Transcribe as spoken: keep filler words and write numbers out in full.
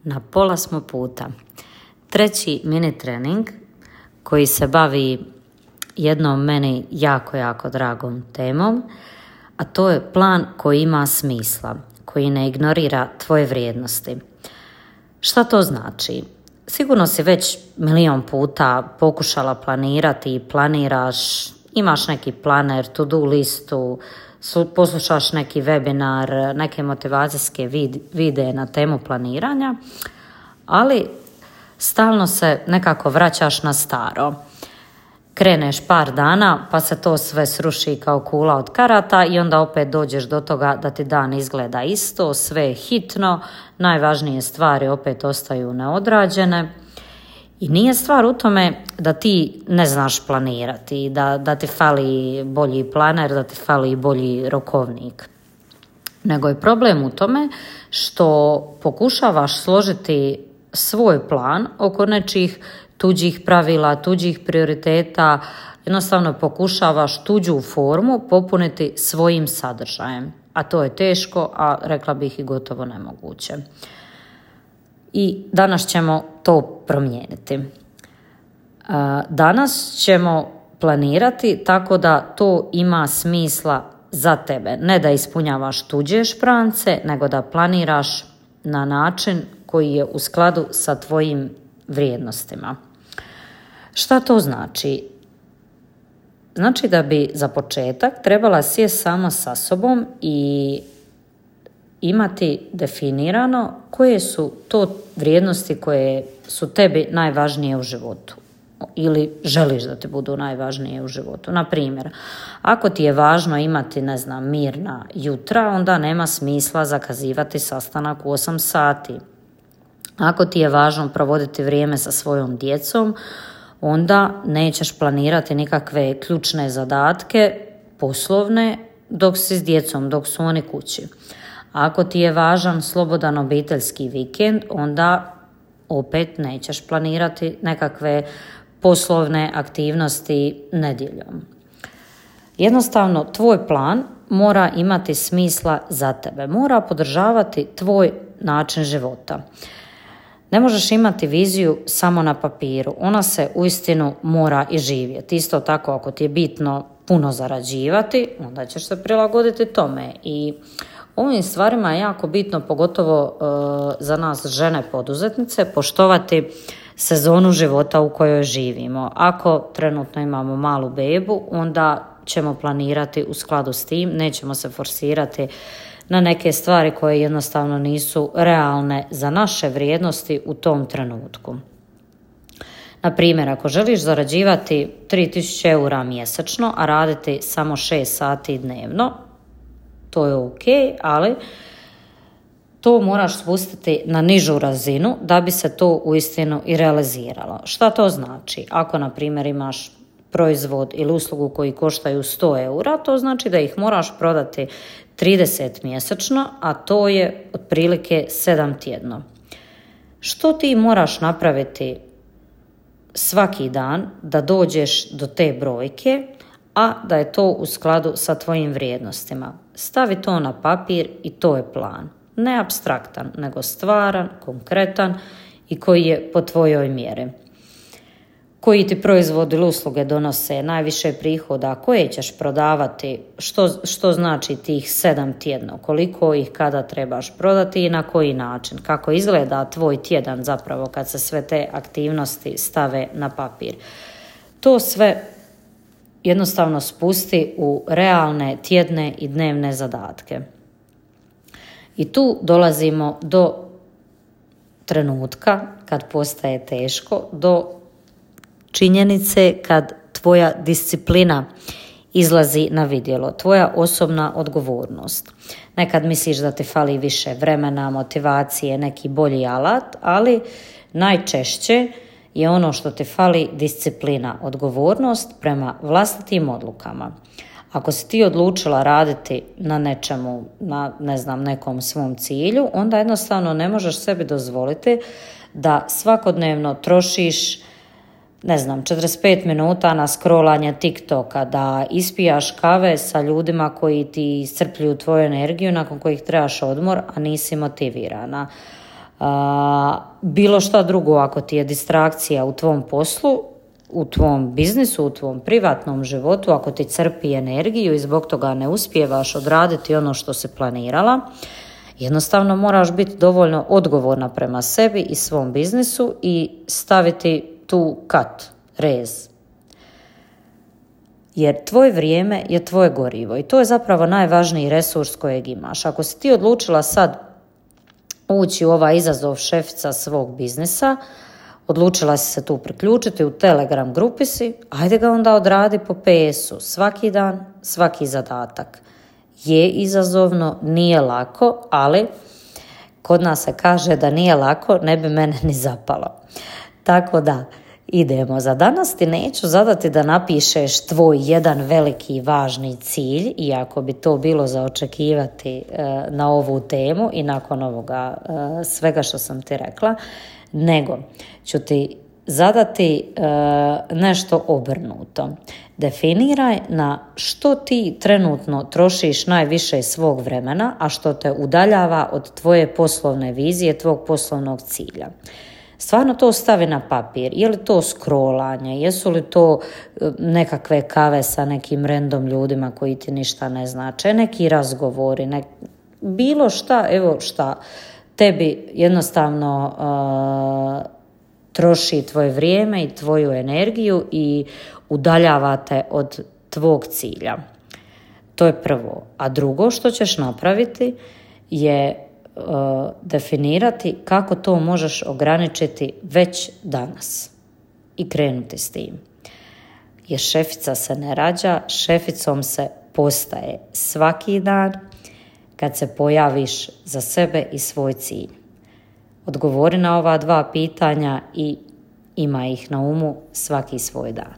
Na pola smo puta. Treći mini trening koji se bavi jednom meni jako, jako dragom temom, a to je plan koji ima smisla, koji ne ignorira tvoje vrijednosti. Šta to znači? Sigurno si već milion puta pokušala planirati i planiraš, imaš neki planer, to-do listu, poslušaš neki webinar, neke motivacijske videe na temu planiranja, ali stalno se nekako vraćaš na staro. Kreneš par dana pa se to sve sruši kao kula od karata i onda opet dođeš do toga da ti dan izgleda isto, sve je hitno, najvažnije stvari opet ostaju neodrađene. I nije stvar u tome da ti ne znaš planirati, da, da ti fali bolji planer, da ti fali bolji rokovnik. Nego je problem u tome što pokušavaš složiti svoj plan oko nečih tuđih pravila, tuđih prioriteta, jednostavno pokušavaš tuđu formu popuniti svojim sadržajem. A to je teško, a rekla bih i gotovo nemoguće. I danas ćemo to promijeniti. Danas ćemo planirati tako da to ima smisla za tebe. Ne da ispunjavaš tuđe šprance, nego da planiraš na način koji je u skladu sa tvojim vrijednostima. Šta to znači? Znači da bi za početak trebala sjesti sama sa sobom i imati definirano koje su to vrijednosti koje su tebi najvažnije u životu ili želiš da ti budu najvažnije u životu. Na primjer, ako ti je važno imati, ne znam, mirna jutra, onda nema smisla zakazivati sastanak u osam sati. Ako ti je važno provoditi vrijeme sa svojom djecom, onda nećeš planirati nikakve ključne zadatke, poslovne, dok si s djecom, dok su oni kući. Ako ti je važan slobodan obiteljski vikend, onda opet nećeš planirati nekakve poslovne aktivnosti nedjeljom. Jednostavno, tvoj plan mora imati smisla za tebe, mora podržavati tvoj način života. Ne možeš imati viziju samo na papiru, ona se uistinu mora i živjeti. Isto tako, ako ti je bitno puno zarađivati, onda ćeš se prilagoditi tome. I ovim stvarima je jako bitno, pogotovo e, za nas žene poduzetnice, poštovati sezonu života u kojoj živimo. Ako trenutno imamo malu bebu, onda ćemo planirati u skladu s tim, nećemo se forsirati na neke stvari koje jednostavno nisu realne za naše vrijednosti u tom trenutku. Na primjer, ako želiš zarađivati tri tisuće eura mjesečno, a raditi samo šest sati dnevno, to je ok, ali to moraš spustiti na nižu razinu da bi se to uistinu i realiziralo. Šta to znači? Ako, na primjer, imaš proizvod ili uslugu koji koštaju sto eura, to znači da ih moraš prodati trideset mjesečno, a to je otprilike sedam tjedno. Što ti moraš napraviti svaki dan da dođeš do te brojke, a da je to u skladu sa tvojim vrijednostima? Stavi to na papir i to je plan. Ne apstraktan, nego stvaran, konkretan i koji je po tvojoj mjeri. Koji ti proizvod ili usluge donose najviše prihoda, koje ćeš prodavati, što, što znači tih sedam tjedno, koliko ih kada trebaš prodati i na koji način, kako izgleda tvoj tjedan zapravo kad se sve te aktivnosti stave na papir. To sve jednostavno spusti u realne tjedne i dnevne zadatke. I tu dolazimo do trenutka kad postaje teško, do činjenice kad tvoja disciplina izlazi na vidjelo, tvoja osobna odgovornost. Nekad misliš da ti fali više vremena, motivacije, neki bolji alat, ali najčešće je ono što ti fali disciplina, odgovornost prema vlastitim odlukama. Ako si ti odlučila raditi na nečemu, na ne znam, nekom svom cilju, onda jednostavno ne možeš sebi dozvoliti da svakodnevno trošiš, ne znam, četrdeset pet minuta na scrollanje TikToka, da ispijaš kave sa ljudima koji ti iscrpljuju tvoju energiju, nakon kojih trebaš odmor, a nisi motivirana. A, bilo šta drugo ako ti je distrakcija u tvom poslu, u tvom biznisu, u tvom privatnom životu, ako ti crpi energiju i zbog toga ne uspijevaš odraditi ono što si planirala, jednostavno moraš biti dovoljno odgovorna prema sebi i svom biznisu i staviti tu kat, rez. Jer tvoje vrijeme je tvoje gorivo i to je zapravo najvažniji resurs kojeg imaš. Ako si ti odlučila sad ući u ovaj izazov šefica svog biznisa, odlučila si se tu priključiti, u Telegram grupi si, ajde ga onda odradi po P S-u, svaki dan, svaki zadatak. Je izazovno, nije lako, ali kod nas se kaže da nije lako, ne bi mene ni zapalo. Tako da, idemo. Za danas ti neću zadati da napišeš tvoj jedan veliki važni cilj, iako bi to bilo za očekivati e, na ovu temu i nakon ovoga e, svega što sam ti rekla, nego ću ti zadati e, nešto obrnuto. Definiraj na što ti trenutno trošiš najviše svog vremena, a što te udaljava od tvoje poslovne vizije, tvog poslovnog cilja. Stvarno to stavi na papir. Je li to scrollanje, jesu li to nekakve kave sa nekim random ljudima koji ti ništa ne znače, neki razgovori, nek... bilo šta, evo šta tebi jednostavno uh, troši tvoje vrijeme i tvoju energiju i udaljava te od tvog cilja. To je prvo. A drugo što ćeš napraviti je uh, definirati kako to možeš ograničiti već danas i krenuti s tim. Jer šefica se ne rađa, šeficom se postaje svaki dan kad se pojaviš za sebe i svoj cilj. Odgovori na ova dva pitanja i ima ih na umu svaki svoj dan.